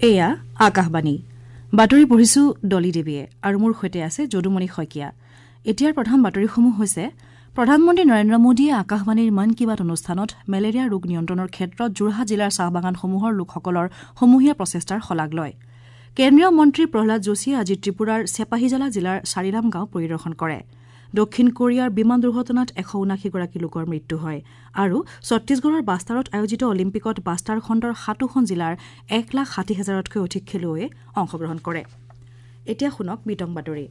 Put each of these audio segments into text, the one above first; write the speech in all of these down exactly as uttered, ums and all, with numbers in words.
এয়া আকাশবাণী বাতৰি পঢ়িছো ডলি দেৱীয়ে আৰু মোৰ সৈতে আছে যদুমণি শইকীয়া। এতিয়াৰ প্ৰধান বাতৰিসমূহ হৈছে প্ৰধানমন্ত্ৰী নৰেন্দ্ৰ মোদীয়ে আকাশবাণীৰ মন কী বাত অনুষ্ঠানত মেলেৰিয়া ৰোগ নিয়ন্ত্ৰণৰ ক্ষেত্ৰত যোৰহাট জিলাৰ চাহ বাগানসমূহৰ লোকসকলৰ সমূহীয়া প্ৰচেষ্টাৰ শলাগ লয়। কেন্দ্ৰীয় মন্ত্ৰী প্ৰহ্লাদ যোশীয়ে আজি ত্ৰিপুৰাৰ চেপাহিজালা জিলাৰ চাৰিৰাম গাঁও পৰিদৰ্শন কৰে। দক্ষিণ কোৰিয়াৰ বিমান দুৰ্ঘটনাত এশ ঊনাশীগৰাকী লোকৰ মৃত্যু হয় আৰু ছত্তীশগড়ৰ বাষ্টাৰত আয়োজিত অলিম্পিকত বাষ্টাৰ খণ্ডৰ সাতোখন জিলাৰ এক লাখ ষাঠি হাজাৰতকৈ অধিক খেলুৱৈয়ে অংশগ্ৰহণ কৰে। এতিয়া শুনক বিতং বাতৰি।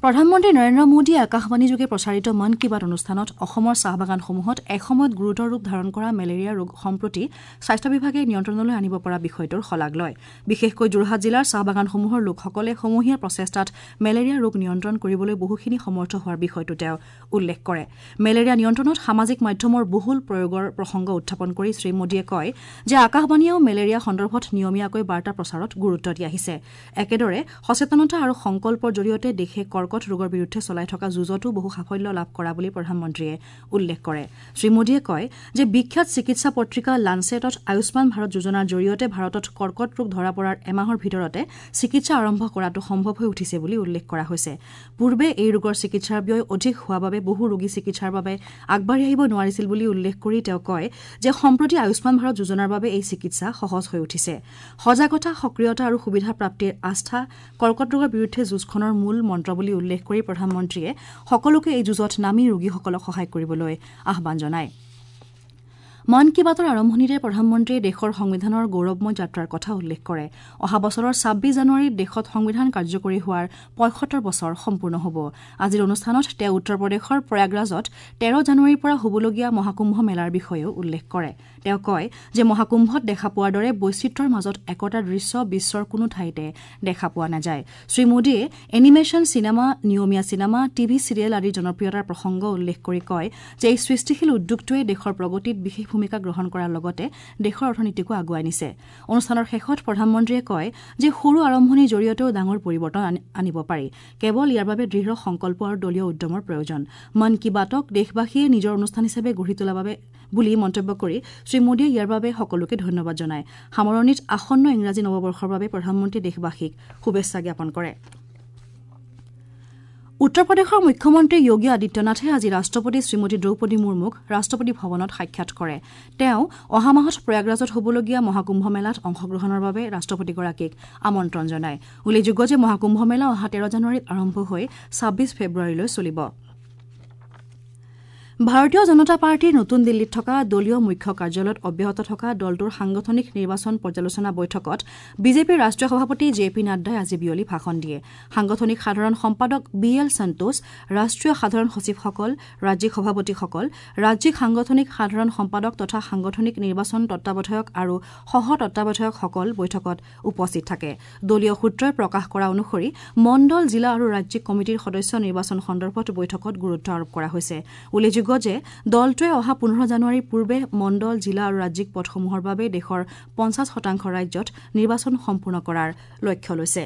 প্ৰধানমন্ত্ৰী নৰেন্দ্ৰ মোদীয়ে আকাশবাণীযোগে প্ৰচাৰিত মন কী বাত অনুষ্ঠানত অসমৰ চাহ বাগানসমূহত এসময়ত গুৰুতৰ ৰূপ ধাৰণ কৰা মেলেৰিয়া ৰোগ সম্প্ৰতি স্বাস্থ্য বিভাগে নিয়ন্ত্ৰণলৈ আনিব পৰা বিষয়টোৰ শলাগ লয়। বিশেষকৈ যোৰহাট জিলাৰ চাহ বাগানসমূহৰ লোকসকলে সমূহীয়া প্ৰচেষ্টাত মেলেৰিয়া ৰোগ নিয়ন্ত্ৰণ কৰিবলৈ বহুখিনি সমৰ্থ হোৱাৰ বিষয়টো তেওঁ উল্লেখ কৰে। মেলেৰিয়া নিয়ন্ত্ৰণত সামাজিক মাধ্যমৰ বহুল প্ৰয়োগৰ প্ৰসংগ উত্থাপন কৰি শ্ৰীমোদীয়ে কয় যে আকাশবাণীয়েও মেলেৰিয়া সন্দৰ্ভত নিয়মীয়াকৈ বাৰ্তা প্ৰচাৰত গুৰুত্ব দি আহিছে। একেদৰে সচেতনতা আৰু সংকল্পৰ জৰিয়তে দেশে কৰ্কট ৰোগৰ বিৰুদ্ধে চলাই থকা যুঁজতো বহু সাফল্য লাভ কৰা বুলি প্ৰধানমন্ত্ৰীয়ে উল্লেখ কৰে। শ্ৰীমোদীয়ে কয় যে বিখ্যাত চিকিৎসা পত্ৰিকা লানছেটত আয়ুষ্মান ভাৰত যোজনাৰ জৰিয়তে ভাৰতত কৰ্কট ৰোগ ধৰা পৰাৰ এমাহৰ ভিতৰতে চিকিৎসা আৰম্ভ কৰাটো সম্ভৱ হৈ উঠিছে বুলি উল্লেখ কৰা হৈছে। পূৰ্বে এই ৰোগৰ চিকিৎসাৰ ব্যয় অধিক হোৱা বাবে বহু ৰোগী চিকিৎসাৰ বাবে আগবাঢ়ি আহিব নোৱাৰিছিল বুলি উল্লেখ কৰি তেওঁ কয় যে সম্প্ৰতি আয়ুষ্মান ভাৰত যোজনাৰ বাবে এই চিকিৎসা সহজ হৈ উঠিছে। সজাগতা, সক্ৰিয়তা আৰু সুবিধা প্ৰাপ্তিৰ আস্থা কৰ্কট ৰোগৰ বিৰুদ্ধে যুঁজখনৰ মূল মন্ত্ৰ বুলি উল্লেখ কৰি প্ৰধানমন্ত্ৰীয়ে সকলোকে এই যুঁজত নামি ৰোগীসকলক সহায় কৰিবলৈ আহ্বান জনায়। মন কী বাতৰ আৰম্ভণিতে প্ৰধানমন্ত্ৰীয়ে দেশৰ সংবিধানৰ গৌৰৱময় যাত্ৰাৰ কথা উল্লেখ কৰে। অহা বছৰৰ ছাব্বিছ জানুৱাৰীত দেশত সংবিধান কাৰ্যকৰী হোৱাৰ পঁয়সত্তৰ বছৰ সম্পূৰ্ণ হ'ব। আজিৰ অনুষ্ঠানত তেওঁ উত্তৰ প্ৰদেশৰ প্ৰয়াগৰাজত তেৰ জানুৱাৰীৰ পৰা হ'বলগীয়া মহাকুম্ভ মেলাৰ বিষয়েও উল্লেখ কৰে। তেওঁ কয় যে মহাকুম্ভত দেখা পোৱাৰ দৰে বৈচিত্ৰ্যৰ মাজত একতাৰ দৃশ্য বিশ্বৰ কোনো ঠাইতে দেখা পোৱা নাযায়। শ্ৰীমোদীয়ে এনিমেশ্যন চিনেমা, নিয়মীয়া চিনেমা, টিভি চিৰিয়েল আদিৰ জনপ্ৰিয়তাৰ প্ৰসংগ উল্লেখ কৰি কয় যে এই সৃষ্টিশীল উদ্যোগটোৱে দেশৰ প্ৰগতিত বিশেষ ভূমিকা গ্ৰহণ কৰাৰ লগতে দেশৰ অৰ্থনীতিকো আগুৱাই নিছে। অনুষ্ঠানৰ শেষত প্ৰধানমন্ত্ৰীয়ে কয় যে সৰু আৰম্ভণিৰ জৰিয়তেও ডাঙৰ পৰিৱৰ্তন আনিব পাৰি, কেৱল ইয়াৰ বাবে দৃঢ় সংকল্প আৰু দলীয় উদ্যমৰ প্ৰয়োজন। মন কী বাতক দেশবাসীয়ে নিজৰ অনুষ্ঠান হিচাপে গঢ়ি তোলাৰ বাবে বুলি মন্তব্য কৰি শ্ৰীমোদীয়ে ইয়াৰ বাবে সকলোকে ধন্যবাদ জনায়। সামৰণিত আসন্ন ইংৰাজী নৱবৰ্ষৰ বাবে প্ৰধানমন্ত্ৰীয়ে দেশবাসীক শুভেচ্ছা জ্ঞাপন কৰে। উত্তৰ প্ৰদেশৰ মুখ্যমন্ত্ৰী যোগী আদিত্যনাথে আজি ৰাষ্ট্ৰপতি শ্ৰীমতী দ্ৰৌপদী মুৰ্মুক ৰাষ্ট্ৰপতি ভৱনত সাক্ষাৎ কৰে। তেওঁ অহা মাহত প্ৰয়াগৰাজত হ'বলগীয়া মহাকুম্ভ মেলাত অংশগ্ৰহণৰ বাবে ৰাষ্ট্ৰপতিগৰাকীক আমন্ত্ৰণ জনায়। উল্লেখযোগ্য যে মহাকুম্ভ মেলা অহা তেৰ জানুৱাৰীত আৰম্ভ হৈ ছাব্বিছ ফেব্ৰুৱাৰীলৈ চলিব। ভাৰতীয় জনতা পাৰ্টীৰ নতুন দিল্লীত থকা দলীয় মুখ্য কাৰ্যালয়ত অব্যাহত থকা দলটোৰ সাংগঠনিক নিৰ্বাচন পৰ্যালোচনা বৈঠকত বিজেপিৰ ৰাষ্ট্ৰীয় সভাপতি জে পি নাড্ডাই আজি বিয়লি ভাষণ দিয়ে। সাংগঠনিক সাধাৰণ সম্পাদক বি এল সন্তোষ, ৰাষ্ট্ৰীয় সাধাৰণ সচিবসকল, ৰাজ্যিক সভাপতিসকল, ৰাজ্যিক সাংগঠনিক সাধাৰণ সম্পাদক তথা সাংগঠনিক নিৰ্বাচন তত্বাৱধায়ক আৰু সহ তত্বাৱধায়কসকল বৈঠকত উপস্থিত থাকে। দলীয় সূত্ৰই প্ৰকাশ কৰা অনুসৰি মণ্ডল, জিলা আৰু ৰাজ্যিক কমিটিৰ সদস্য নিৰ্বাচন সন্দৰ্ভত বৈঠকত গুৰুত্ব আৰোপ কৰা হৈছে। উল্লেখযোগ্য যে দলটোৱে অহা পোন্ধৰ জানুৱাৰীৰ পূৰ্বে মণ্ডল, জিলা আৰু ৰাজ্যিক পদসমূহৰ বাবে দেশৰ পঞ্চাছ শতাংশ ৰাজ্যত নিৰ্বাচন সম্পূৰ্ণ কৰাৰ লক্ষ্য লৈছে।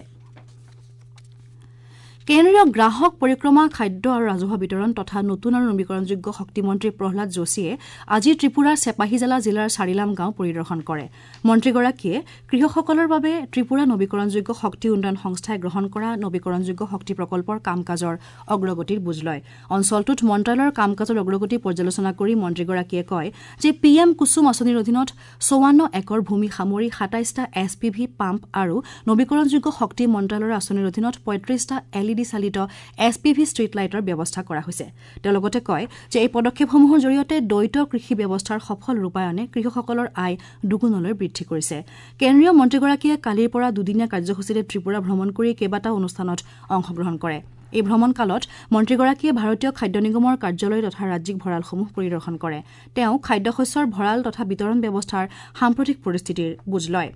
কেন্দ্ৰীয় গ্ৰাহক পৰিক্ৰমা, খাদ্য আৰু ৰাজহুৱা বিতৰণ তথা নতুন আৰু নবীকৰণযোগ্য শক্তিমন্ত্ৰী প্ৰহ্লাদ যোশীয়ে আজি ত্ৰিপুৰাৰ চেপাহিজালা জিলাৰ চাৰিলাম গাঁও পৰিদৰ্শন কৰে। মন্ত্ৰীগৰাকীয়ে কৃষকসকলৰ বাবে ত্ৰিপুৰা নবীকৰণযোগ্য শক্তি উন্নয়ন সংস্থাই গ্ৰহণ কৰা নবীকৰণযোগ্য শক্তি প্ৰকল্পৰ কাম কাজৰ অগ্ৰগতিৰ বুজ লয়। অঞ্চলটোত মন্ত্ৰালয়ৰ কাম কাজৰ অগ্ৰগতি পৰ্যালোচনা কৰি মন্ত্ৰীগৰাকীয়ে কয় যে পি এম কুসুম আঁচনিৰ অধীনত চৌৱান্ন একৰ ভূমি সামৰি সাতাইছটা এছ পি ভি পাম্প আৰু নবীকৰণযোগ্য শক্তি মন্ত্ৰালয়ৰ আঁচনিৰ অধীনত পঁয়ত্ৰিছটা এল ই ডি চালিত এছ পি ভি ষ্ট্ৰীট লাইটৰ ব্যৱস্থা কৰা হৈছে। তেওঁ লগতে কয় যে এই পদক্ষেপসমূহৰ জৰিয়তে দ্বৈত কৃষি ব্যৱস্থাৰ সফল ৰূপায়ণে কৃষকসকলৰ আয় দুগুণলৈ বৃদ্ধি কৰিছে। কেন্দ্ৰীয় মন্ত্ৰীগৰাকীয়ে কালিৰ পৰা দুদিনীয়া কাৰ্যসূচীৰে ত্ৰিপুৰা ভ্ৰমণ কৰি কেইবাটাও অনুষ্ঠানত অংশগ্ৰহণ কৰে। এই ভ্ৰমণকালত মন্ত্ৰীগৰাকীয়ে ভাৰতীয় খাদ্য নিগমৰ কাৰ্যালয় তথা ৰাজ্যিক ভঁৰালসমূহ পৰিদৰ্শন কৰে। তেওঁ খাদ্যশস্যৰ ভঁৰাল তথা বিতৰণ ব্যৱস্থাৰ সাম্প্ৰতিক পৰিস্থিতিৰ বুজ লয়।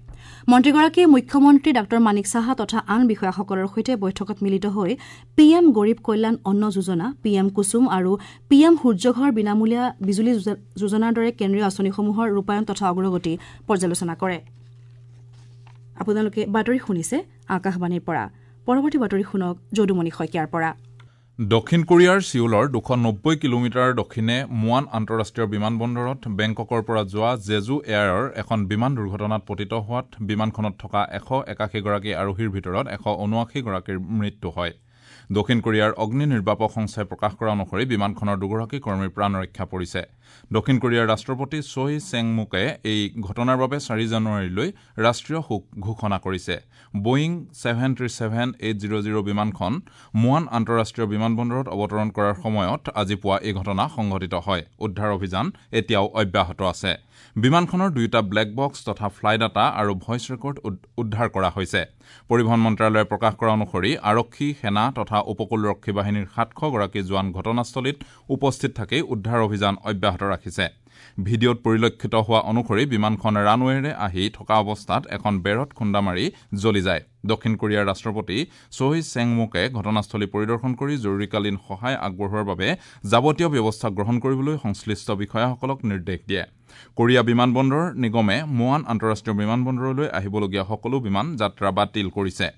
মন্ত্ৰীগৰাকীয়ে মুখ্যমন্ত্ৰী ডাঃ মানিক সাহা তথা আন বিষয়াসকলৰ সৈতে বৈঠকত মিলিত হৈ পি এম গৰীব কল্যাণ অন্ন যোজনা, পি এম কুসুম আৰু পি এম সূৰ্যঘৰ বিনামূলীয়া বিজুলী যোজনাৰ দৰে কেন্দ্ৰীয় আঁচনিসমূহৰ ৰূপায়ণ তথা অগ্ৰগতি পৰ্যালোচনা কৰে। আপোনালোকে বাতৰি শুনিছে আকাশবাণীৰ পৰা। পৰৱৰ্তী বাতৰি শুনক যদুমণি শইকীয়াৰ পৰা। দক্ষিণ কোৰিয়াৰ চিউলৰ দুশ নব্বৈ কিলোমিটাৰ দক্ষিণে মুৱান আন্তঃৰাষ্ট্ৰীয় বিমানবন্দৰত বেংককৰ পৰা যোৱা জেজু এয়াৰৰ এখন বিমান দুৰ্ঘটনাত পতিত হোৱাত বিমানখনত থকা এশ একাশীগৰাকী আৰোহীৰ ভিতৰত এশ ঊনাশীগৰাকীৰ মৃত্যু হয়। দক্ষিণ কোৰিয়াৰ অগ্নি নিৰ্বাপক সংস্থাই প্ৰকাশ কৰা অনুসৰি বিমানখনৰ দুগৰাকী কৰ্মীৰ প্ৰাণ ৰক্ষা পৰিছে। দক্ষিণ কোৰিয়াৰ ৰাষ্ট্ৰপতি ছৈ চেংমুকে এই ঘটনাৰ বাবে চাৰি জানুৱাৰীলৈ ৰাষ্ট্ৰীয় শোক ঘোষণা কৰিছে। Boeing seven three seven eight zero zero বিমানখন মুৱান আন্তঃৰাষ্ট্ৰীয় বিমানবন্দৰত অৱতৰণ কৰাৰ সময়ত আজি পুৱা এই ঘটনা সংঘটিত হয়। উদ্ধাৰ অভিযান এতিয়াও অব্যাহত আছে। বিমানখনৰ দুয়োটা ব্লেক বক্স তথা ফ্লাই ডাটা আৰু ভইচ ৰেকৰ্ড উদ্ধাৰ কৰা হৈছে। পৰিবহণ মন্ত্ৰালয়ে প্ৰকাশ কৰা অনুসৰি আৰক্ষী, সেনা তথা উপকূলৰক্ষী বাহিনীৰ সাতশগৰাকী জোৱান ঘটনাস্থলীত উপস্থিত থাকি উদ্ধাৰ অভিযান অব্যাহত ৰাখিছে। ভিডিঅ'ত পৰিলক্ষিত হোৱা অনুসৰি বিমানখন ৰানৱেৰে আহি থকা অৱস্থাত এখন বেৰত খুন্দা মাৰি জ্বলি যায়। দক্ষিণ কোৰিয়াৰ ৰাষ্ট্ৰপতি ছৈ চেংমুকে ঘটনাস্থলী পৰিদৰ্শন কৰি জৰুৰীকালীন সহায় আগবঢ়োৱাৰ বাবে যাৱতীয় ব্যৱস্থা গ্ৰহণ কৰিবলৈ সংশ্লিষ্ট বিষয়াসকলক নিৰ্দেশ দিয়ে। কোৰিয়া বিমানবন্দৰ নিগমে মুৱান আন্তঃৰাষ্ট্ৰীয় বিমানবন্দৰলৈ আহিবলগীয়া সকলো বিমান যাত্ৰা বাতিল কৰিছে।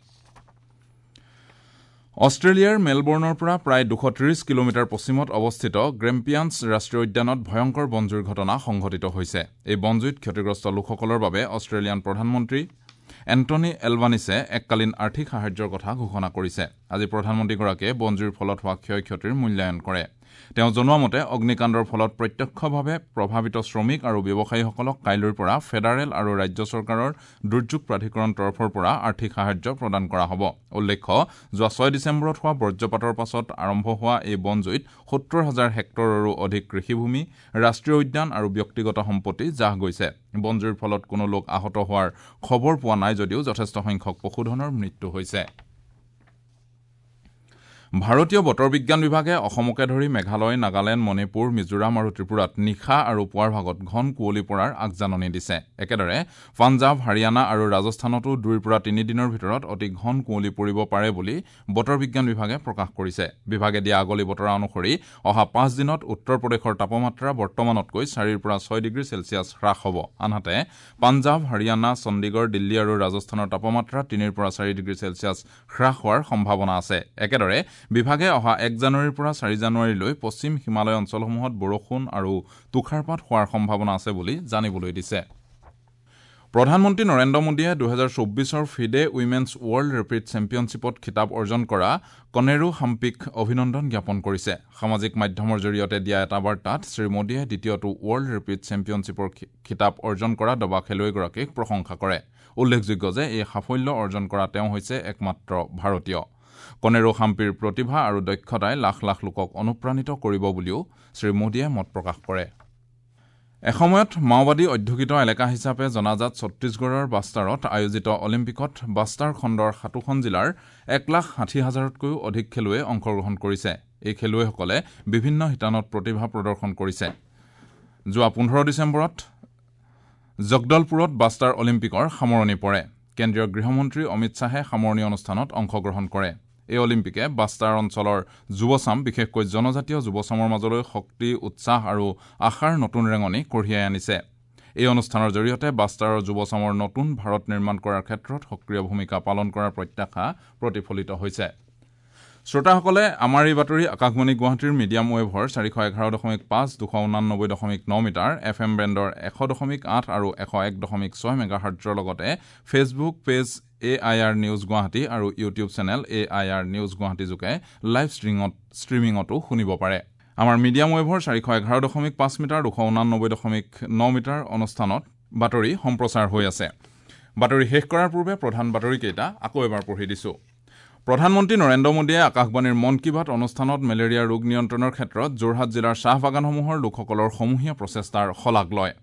অষ্ট্ৰেলিয়াৰ মেলবৰ্ণৰ পৰা প্ৰায় দুশ ত্ৰিশ কিলোমিটাৰ পশ্চিমত অৱস্থিত গ্ৰেম্পিয়ানছ ৰাষ্ট্ৰীয় উদ্যানত ভয়ংকৰ বনজুইৰ ঘটনা সংঘটিত হৈছে। এই বনজুইত ক্ষতিগ্ৰস্ত লোকসকলৰ বাবে অষ্ট্ৰেলিয়ান প্ৰধানমন্ত্ৰী এণ্টনি এলবানিছে এককালীন আৰ্থিক সাহায্যৰ কথা ঘোষণা কৰিছে। আজি প্ৰধানমন্ত্ৰীগৰাকীয়ে বনজুইৰ ফলত হোৱা ক্ষয় ক্ষতিৰ মূল্যায়ন কৰে। তেওঁ জনোৱা মতে অগ্নিকাণ্ডৰ ফলত প্ৰত্যক্ষভাৱে প্ৰভাৱিত শ্ৰমিক আৰু ব্যৱসায়ীসকলক কাইলৈৰ পৰা ফেডাৰেল আৰু ৰাজ্য চৰকাৰৰ দুৰ্যোগ প্ৰাধিকৰণ তৰফৰ পৰা আৰ্থিক সাহায্য প্ৰদান কৰা হ'ব। উল্লেখ্য, যোৱা ছয় ডিচেম্বৰত হোৱা বজ্ৰপাতৰ পাছত আৰম্ভ হোৱা এই বনজুইত সত্তৰ হাজাৰ হেক্টৰৰো অধিক কৃষিভূমি, ৰাষ্ট্ৰীয় উদ্যান আৰু ব্যক্তিগত সম্পত্তি জাহ গৈছে। বনজুইৰ ফলত কোনো লোক আহত হোৱাৰ খবৰ পোৱা নাই যদিও যথেষ্ট সংখ্যক পশুধনৰ মৃত্যু হৈছে। ভাৰতীয় বতৰ বিজ্ঞান বিভাগে অসমকে ধৰি মেঘালয়, নাগালেণ্ড, মণিপুৰ, মিজোৰাম আৰু ত্ৰিপুৰাত নিশা আৰু পুৱাৰ ভাগত ঘন কুঁৱলী পৰাৰ আগজাননী দিছে। একেদৰে পাঞ্জাৱ, হাৰিয়ানা আৰু ৰাজস্থানতো দুইৰ পৰা তিনিদিনৰ ভিতৰত অতি ঘন কুঁৱলী পৰিব পাৰে বুলি বতৰ বিজ্ঞান বিভাগে প্ৰকাশ কৰিছে। বিভাগে দিয়া আগলি বতৰা অনুসৰি অহা পাঁচ দিনত উত্তৰ প্ৰদেশৰ তাপমাত্ৰা বৰ্তমানতকৈ চাৰিৰ পৰা ছয় ডিগ্ৰী চেলছিয়াছ হ্ৰাস হ'ব। আনহাতে পাঞ্জাৱ, হাৰিয়ানা, চণ্ডীগড়, দিল্লী আৰু ৰাজস্থানৰ তাপমাত্ৰা তিনিৰ পৰা চাৰি ডিগ্ৰী চেলছিয়াছ হ্ৰাস হোৱাৰ সম্ভাৱনা আছে। একেদৰে বিভাগে অহা এক জানুৱাৰীৰ পৰা চাৰি জানুৱাৰীলৈ পশ্চিম হিমালয় অঞ্চলসমূহত বৰষুণ আৰু তুষাৰপাত হোৱাৰ সম্ভাৱনা আছে বুলি জানিবলৈ দিছে। প্ৰধানমন্ত্ৰী নৰেন্দ্ৰ মোদীয়ে দুহেজাৰ চৌব্বিছৰ ফিডে উইমেন্স ৱৰ্ল্ড ৰেপিড চেম্পিয়নশ্বিপত খিতাপ অৰ্জন কৰা কনেৰু হাম্পিক অভিনন্দন জ্ঞাপন কৰিছে। সামাজিক মাধ্যমৰ জৰিয়তে দিয়া এটা বাৰ্তাত শ্ৰীমোদীয়ে দ্বিতীয়টো ৱৰ্ল্ড ৰেপিড চেম্পিয়নশ্বিপৰ খিতাপ অৰ্জন কৰা দবা খেলুৱৈগৰাকীক প্ৰশংসা কৰে। উল্লেখযোগ্য যে এই সাফল্য অৰ্জন কৰা তেওঁ হৈছে একমাত্ৰ ভাৰতীয়। কনেৰু হাম্পিৰ প্ৰতিভা আৰু দক্ষতাই লাখ লাখ লোকক অনুপ্ৰাণিত কৰিব বুলিও শ্ৰীমোদীয়ে মত প্ৰকাশ কৰে। এসময়ত মাওবাদী অধ্যুষিত এলেকা হিচাপে জনাজাত ছত্তীশগড়ৰ বাস্তাৰত আয়োজিত অলিম্পিকত বাস্তাৰ খণ্ডৰ সাতোখন জিলাৰ এক লাখ ষাঠি হাজাৰতকৈও অধিক খেলুৱৈয়ে অংশগ্ৰহণ কৰিছে। এই খেলুৱৈসকলে বিভিন্ন শিতানত প্ৰতিভা প্ৰদৰ্শন কৰিছে। যোৱা পোন্ধৰ ডিচেম্বৰত জগদলপুৰত বাস্তাৰ অলিম্পিকৰ সামৰণি পৰে। কেন্দ্ৰীয় গৃহমন্ত্ৰী অমিত শ্বাহে সামৰণি অনুষ্ঠানত অংশগ্ৰহণ কৰে। এই অলিম্পিকে বাস্তাৰ অঞ্চলৰ যুৱচাম, বিশেষকৈ জনজাতীয় যুৱচামৰ মাজলৈ শক্তি, উৎসাহ আৰু আশাৰ নতুন ৰেঙনি কঢ়িয়াই আনিছে। এই অনুষ্ঠানৰ জৰিয়তে বাস্তাৰৰ যুৱচামৰ নতুন ভাৰত নিৰ্মাণ কৰাৰ ক্ষেত্ৰত সক্ৰিয় ভূমিকা পালন কৰাৰ প্ৰত্যাশা প্ৰতিফলিত হৈছে। শ্ৰোতাসকলে আমাৰ এই বাতৰি আকাশবাণী গুৱাহাটীৰ মিডিয়াম ৱেভৰ চাৰিশ এঘাৰ দশমিক পাঁচ, দুশ ঊনানব্বৈ দশমিক ন মিটাৰ, এফ এম বেণ্ডৰ এশ দশমিক আঠ আৰু এশ এক দশমিক ছয় মেগাহাৰ্টজৰ লগতে Facebook page A I R news Guwahati আৰু YouTube channel A I R news Guwahati যোগে লাইভ ষ্ট্ৰীঙত ষ্ট্ৰীমিঙতো শুনিব পাৰে। আমাৰ মিডিয়াম ৱেভৰ চাৰিশ এঘাৰ দশমিক পাঁচ মিটাৰ, দুশ ঊনানব্বৈ দশমিক ন মিটাৰ অনুষ্ঠানত বাতৰি সম্প্ৰচাৰ হৈ আছে। বাতৰি শেষ কৰাৰ পূৰ্বে প্ৰধান বাতৰিকেইটা আকৌ এবাৰ পঢ়ি দিছোঁ। প্ৰধানমন্ত্ৰী নৰেন্দ্ৰ মোদীয়ে আকাশবাণীৰ মন কী বাত অনুষ্ঠানত মেলেৰিয়া ৰোগ নিয়ন্ত্ৰণৰ ক্ষেত্ৰত যোৰহাট জিলাৰ চাহ বাগানসমূহৰ লোকসকলৰ সমূহীয়া প্ৰচেষ্টাৰ শলাগ লয়।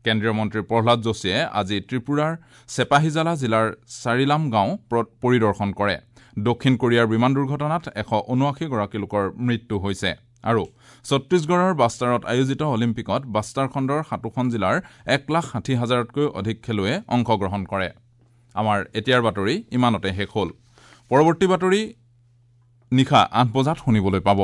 কেন্দ্ৰীয় মন্ত্ৰী প্ৰহ্লাদ যোশীয়ে আজি ত্ৰিপুৰাৰ চেপাহিজালা জিলাৰ চাৰিলাম গাঁও পৰিদৰ্শন কৰে। দক্ষিণ কোৰিয়াৰ বিমান দুৰ্ঘটনাত এশ ঊনাশীগৰাকী লোকৰ মৃত্যু হৈছে। আৰু ছত্তীশগড়ৰ বাস্তাৰত আয়োজিত অলিম্পিকত বাস্তাৰ খণ্ডৰ সাতোখন জিলাৰ এক লাখ ষাঠি হাজাৰতকৈ অধিক খেলুৱৈয়ে অংশগ্ৰহণ কৰে। আমাৰ এতিয়াৰ বাতৰি ইমানতে শেষ হ'ল। পৰৱৰ্তী বাতৰি নিশা আঠ বজাত শুনিবলৈ পাব।